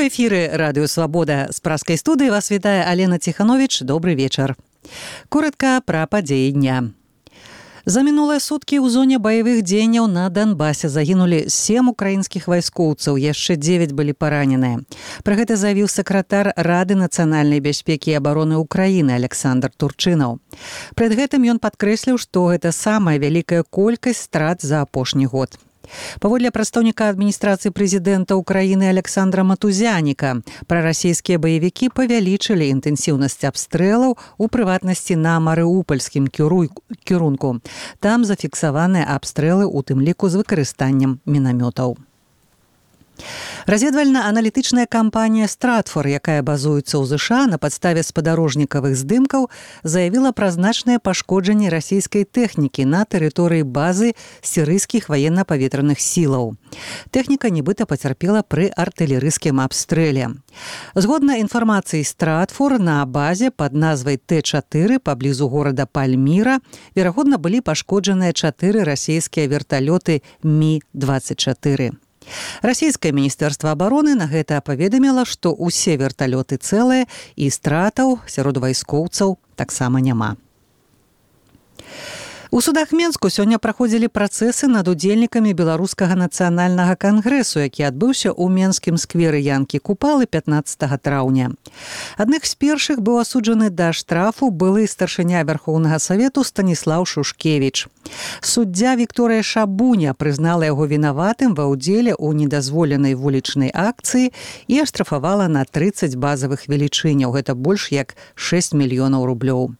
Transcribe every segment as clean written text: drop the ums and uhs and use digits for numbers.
У эфире «Радио Свобода». С Пражской студии вас вітае Алена Тиханович. Добрый вечер. Коротко про падзеі дня. За мінулыя суткі ў зоне баявых дзеянняў на Донбасе загінулі 7 украінскіх вайскоўцаў, яшчэ 9 былі параненыя. Пра гэта заявіў сакратар Рады нацыянальнай бяспекі і абароны Украіны Александр Турчынаў. Пред гэтым ён падкрэсліў, што гэта самая вялікая колькасць страт за апошні год. Паводле прадстаўніка адміністрацыі прэзідэнта Украіны Александра Матузяніка, прарасійскія баевікі павялічылі інтэнсіўнасць абстрэлаў, у прыватнасці на марыупольскім кірунку. Там зафіксаваныя абстрэлы, у тым ліку з выкарыстаннем мінамётаў. Разведвальна-аналітычная кампанія «Стратфор», якая базуецца ў ЗША на падставе спадарожнікавых здымкаў, заявіла пра значнае пашкоджанне расійскай тэхнікі на тэрыторыі базы сірыйскіх ваенна-паветраных сілаў. Тэхніка нібыта пацярпела пры артылерыйскім абстрэле. Згодна інфармацыі «Стратфор», на базе пад назвай Т-4 паблізу горада Пальміра верагодна былі пашкоджаныя 4 расійскія верталёты Ми-24. Расійскае міністэрства абароны на гэта паведаміла, што ўсе верталёты цэлыя і стратаў сярод вайскоўцаў таксама няма. У судах Менску сёння праходзілі працэсы над удзельнікамі Беларускага нацыянальнага кангрэсу, які адбыўся ў Менскім скверы Янкі Купалы 15 траўня. Адных з першых быў асуджаны да штрафу былы старшыня Вярхоўнага Савету Станіслаў Шушкевіч. Суддзя Вікторыя Шабуня прызнала яго вінаватым ва ўдзеле ў недазволенай вулічнай акцыі і аштрафавала на 30 базавых велічыняў. Гэта больш як 6 мільёнаў рублёў.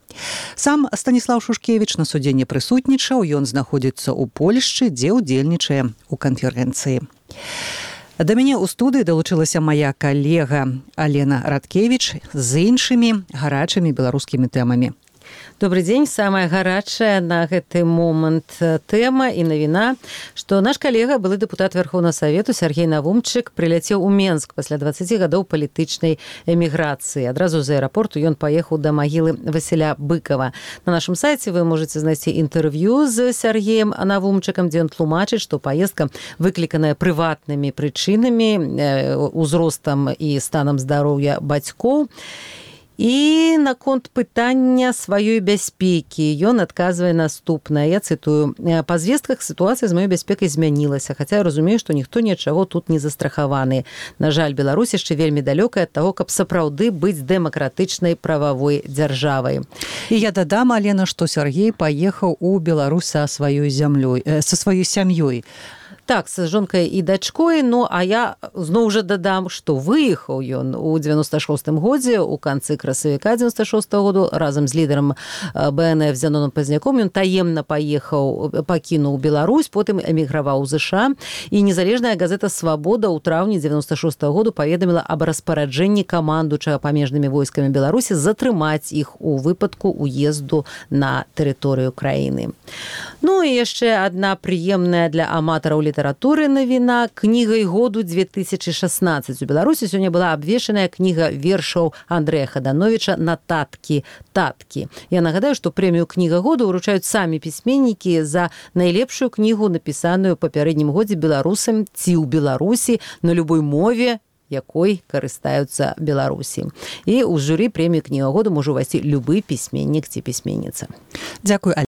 Сам Станіслаў Шушкевіч на судзе не прысутнічаў, ён знаходзіцца ў Польшчы, дзе ўдзельнічае ў канферэнцыі. Да мяне ў студыі далучылася мая калега Алена Радкевіч з іншымі гарачымі беларускімі тэмамі. Добрый дзень. Самая гарачая на гэты момант тэма і навіна, што наш калега, былы дэпутат Вярхоўнага Савету Сяргей Навумчык, прыляцеў у Менск пасля 20 гадоў палітычнай эміграцыі. Адразу з аэрапорту ён паехаў да магілы Васіля Быкова. На нашым сайце вы можаце знайсці інтэрв'ю з Сяргеем Навумчыкам, дзе ён тлумачыць, што паездка выкліканая прыватнымі прычынамі, узростам і станам здароўя бацькоў. І наконт пытання сваёй бяспекі ён адказвае наступнае. Я цытую: «Па звестках сітуацыя з маёй бяспекай змянілася, хаця я разумею, што ніхто нічаго тут не застрахаваны. На жаль, Беларусь яшчэ вельмі далёкая ад таго, каб сапраўды быць дэмакратычнай прававой дзяржавай». І я дадам, Алена, што Сяргей паехаў у Беларусь са сваёй сям'ёй. Так, з жонкай і дачкой, а я зноў жа дадам, што выехаў ён у 96-м годзе, у канцы красавіка 96-го году, разам з лідарам БНФ Зяноном Пазняком. Ён таемна пакінуў Беларусь, потым эміграваў у ЗША, і незалежная газета «Свабода» ў траўні 96-го году паведаміла аб распараджэнні камандуючага памежнымі войскамі Беларусі затрымаць іх у выпадку уезду на тэрыторыю краіны. І яшчэ адна прыемная для аматараў літаратуры навіна. Кнігай году 2016 у Беларусі сёння была абвешаная кніга вершаў Андрэя Хадановіча «Нататкі таткі». Я нагадаю, што прэмію кніга году ўручаюць самі пісьменнікі за найлепшую кнігу, напісаную ў папярэднім годзе беларусам ці ў Беларусі на любой мове, якой карыстаюцца Беларусі. І ў журы прэмію кніга году можа ўвайсці любы пісьменнік ці пісьменніца. Дзякуй.